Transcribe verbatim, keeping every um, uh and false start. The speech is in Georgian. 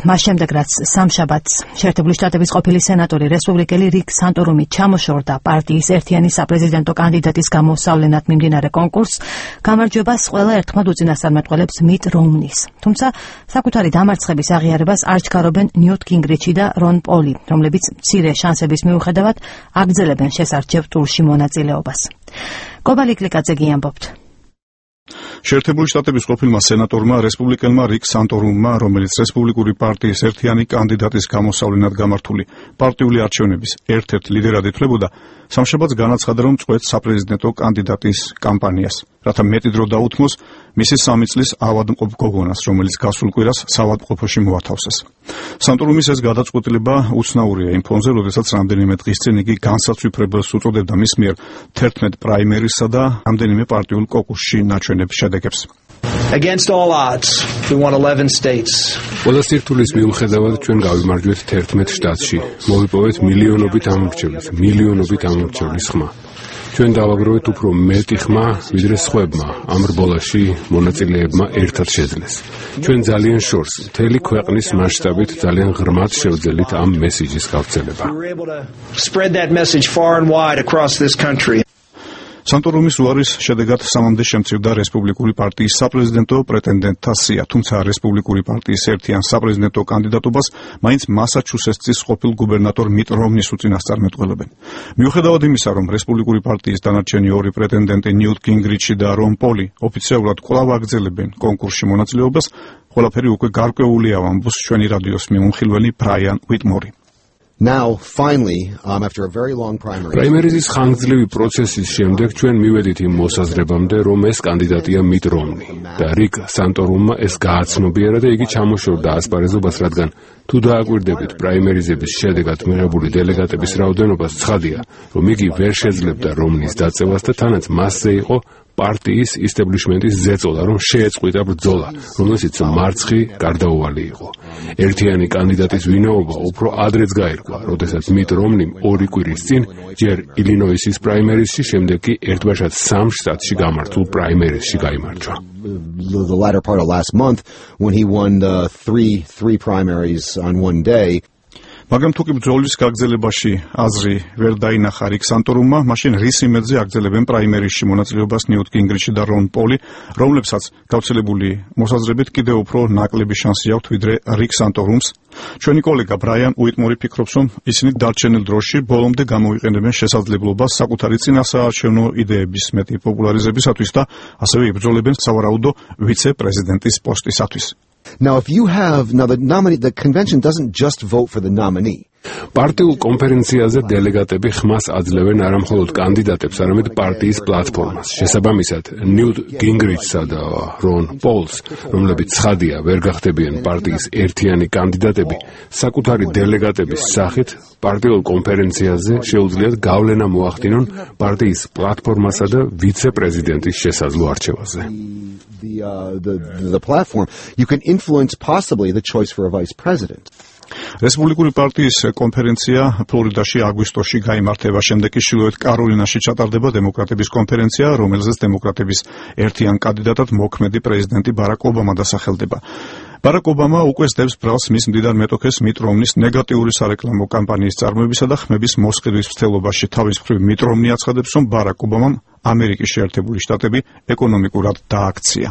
მას შემდეგ, რაც სამშაბათს შეერთებული შტატების ყოფილი სენატორი რესპუბლიკელი რიკ სანტორუმი ჩამოშორდა პარტიის ერთიანი საპრეზიდენტო კანდიდატის გამოსავლენად მიმდინარე კონკურსს, გამარჯვებას ყველა ერთხმად უწინასწარმეტყველებს მიტ რომნის. თუმცა საკუთარი დამარცხების აღიარებას არ ჩქარობენ ნიუტ გინგრიჩი და რონ პოლი, რომლებიც მცირე შანსების მიუხედავად აგრძელებენ შესარჩევ ტურში მონაწილეობას. კობალი კლიკაძე გიამბობთ. შეერთებული შტატების ყოფილმა სენატორმა რესპუბლიკელმა რიკ სანტორუმმა, რომელიც რესპუბლიკური პარტიის ერთიანი კანდიდატის გამოსავლენად გამართული პარტიული არჩევნების ერთ-ერთ ლიდერად ითვლებოდა, სამშაბათს განაცხადა, რომ წყვეტს საპრეზიდენტო კანდიდატის კამპანიას, რათა მეტი დრო დაუთმოს მისი სამი წლის ავადმყოფ გოგონას, რომელიც გასულ კვირას საავადმყოფოში მოათავსეს. სანტორუმის ეს გადაწყვეტილება უცნაურია იმ ფონზე, როდესაც რამდენიმე დღის წინ იგი განსაცვიფრებელს უწოდებდა მის მიერ თერთმეტ პრაიმერისსა და რამდენიმე პარტიულ კოკუსში ნაჩვენებ შედეგებს. Against all odds, we won eleven states. ყველა სირთულის მიუხედავად ჩვენ გავიმარჯვეთ თერთმეტ შტატში. მოვიპოვეთ მილიონობით ამორჩევლის, მილიონობით ამორჩევლის ხმა. ჩვენ დავაგროვეთ უფრო მეტი ხმა, ვიდრე სხვებმა ამ რბოლაში მონაწილეებმა ერთად შეძლეს. ჩვენ ძალიან შორს, მთელი ქვეყნის მასშტაბით ძალიან ღრმად შევძელით ამ მესიჯის გავრცელება. Spread that message far and wide across this country. სანტორუმის უარის შედეგად სამამდე შემცირდა რესპუბლიკური პარტიის საპრეზიდენტო პრეტენდენტთა სია, თუმცა რესპუბლიკური პარტიის ერთიან საპრეზიდენტო კანდიდატობას მაინც მასაჩუსეტსის ყოფილ გუბერნატორ მიტ რომნის უწინასწარმეტყველებენ. მიუხედავად იმისა, რომ რესპუბლიკური პარტიის დანარჩენი ორი პრეტენდენტი ნიუტ გინგრიჩი და რონ პოლი ოფიციალურად კვლავ აგრძელებენ კონკურსში მონაწილეობას, ყველაფერი უკვე გარკვეულია, ამბობს ჩვენი რადიოს მიმოხილველი ბრაიან უიტმორი. Now, finally, um, after a very long primary... პრაიმერიზის ხანგრძლივი პროცესის შემდეგ ჩვენ მივედით იმ მოსაზრებამდე, რომ ეს კანდიდატია მიტ რომნი და რიკ სანტორუმმა ეს გააცნობიერა და იგი ჩამოშორდა ასპარეზობას, რადგან თუ დააკვირდებით პრაიმერიზების შედეგად მიღებული დელეგატების რაოდენობას, ცხადია, რომ იგი ვერ შეძლებდა რომნის დაწევას და თანაც მასზე იყო პარტიის ისტებლიშმენტის ზეწოლა, რომ შეეწყვიტა ბრძოლა, რომელშიც მარცხი გარდაუვალი იყო. ერთიანი კანდიდატის ვინაობა უფრო ადრეც გაირკვა, როდესაც მიტ რომნიმ ორი კვირის წინ ჯერ ილინოისის პრაიმერისში, შემდეგ კი ერთბაშად სამ შტატში გამართულ პრაიმერისში გაიმარჯვა. The latter part of last month, when he won the three three primaries on one day. მაგრამ თუ კი ბრძოლის გაგრძელებაში აზრი ვერ დაინახა რიკ სანტორუმმა, მაშინ რის იმედზე აგრძელებენ პრაიმერისში მონაწილეობას ნიუტ გინგრიჩი და რონ პოლი, რომლებსაც გავრცელებული მოსაზრებით კიდევ უფრო ნაკლები შანსი აქვთ ვიდრე რიკ სანტორუმს. ჩვენი კოლეგა ბრაიან უიტმორი ფიქრობს, რომ ისინი დარჩენილ დროში ბოლომდე გამოიყენებენ შესაძლებლობას საკუთარი წინასაარჩევნო იდეების მეტი პოპულარიზებისათვის და ასევე იბრძოლებენ სავარაუდო ვიცე-პრეზიდენტის პოსტისათვის. Now, if you have now the nominee, the convention doesn't just vote for the nominee. პარტიულ კონფერენციაზე დელეგატები ხმას აძლევენ არა მხოლოდ კანდიდატებს, არამედ პარტიის პლატფორმას. შესაბამისად, ნიუტ გინგრიჩსა და რონ პოლს, რომლებიც ცხადია ვერ გახდებიან პარტიის ერთიანი კანდიდატები, საკუთარი დელეგატების სახით პარტიულ კონფერენციაზე შეუძლიათ გავლენა მოახდინონ პარტიის პლატფორმასა და ვიცე-პრეზიდენტის შესაძლო არჩევაზე. The, uh, the, the platform, you can influence possibly the choice for a vice president. რესპუბლიკური პარტიის კონფერენცია ფლორიდაში აგვისტოში გაიმართება, შემდეგ კი შილოეთ კაროლინაში ჩატარდება დემოკრატების კონფერენცია, რომელზეც დემოკრატების ერთიან კანდიდატად მოქმედი პრეზიდენტი ბარაკ ობამა დასახელდება. ბარაკ ობამა უკვე სდევს ბრალს მის მდიდარ მეტოქეს მიტ რომნის ნეგატიური სარეკლამო კამპანიის წარმოებისა და ხმების მოსყიდვის მცდელობაში. თავის მხრივ მიტ რომნი აცხადებს, რომ ბარაკ ობამამ ამერიკის შეერთებული შტატები ეკონომიკურად დააქცია.